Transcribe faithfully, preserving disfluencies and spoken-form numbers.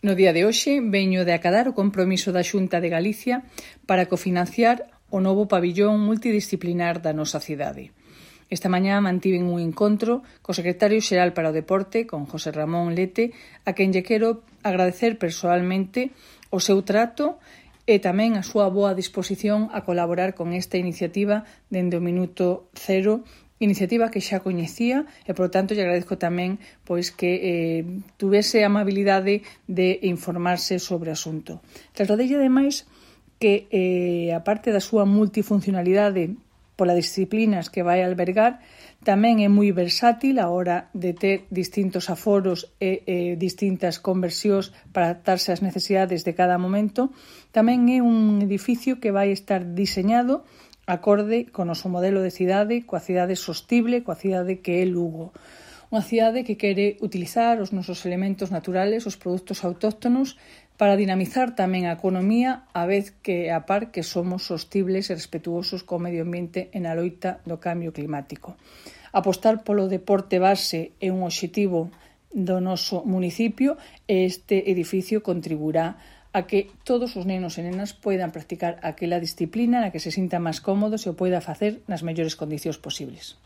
No día de hoxe veño de acadar o compromiso da Xunta de Galicia para cofinanciar o novo pabillón multidisciplinar da nosa cidade. Esta mañá mantiven un encontro co secretario xeral para o Deporte, con José Ramón Lete, a quen lle quero agradecer persoalmente o seu trato e tamén a súa boa disposición a colaborar con esta iniciativa dende o minuto cero, iniciativa que xa coñecía e, por tanto, lle agradezco tamén pois que eh, tuvese a amabilidade de informarse sobre o asunto. Trasladelle, ademais, que, eh, a parte da súa multifuncionalidade polas disciplinas que vai albergar, tamén é moi versátil a hora de ter distintos aforos e eh, distintas conversións para adaptarse ás necesidades de cada momento. Tamén é un edificio que vai estar diseñado acorde co noso modelo de cidade, coa cidade sostible, coa cidade que é Lugo. Unha cidade que quere utilizar os nosos elementos naturales, os produtos autóctonos, para dinamizar tamén a economía, a vez que a par que somos sostibles e respetuosos co medio ambiente en a loita do cambio climático. Apostar polo deporte base é un obxectivo do noso municipio e este edificio contribuirá a que todos os nenos e nenas poidan practicar aquela disciplina na que se sintan máis cómodos e o poida facer nas mellores condicións posibles.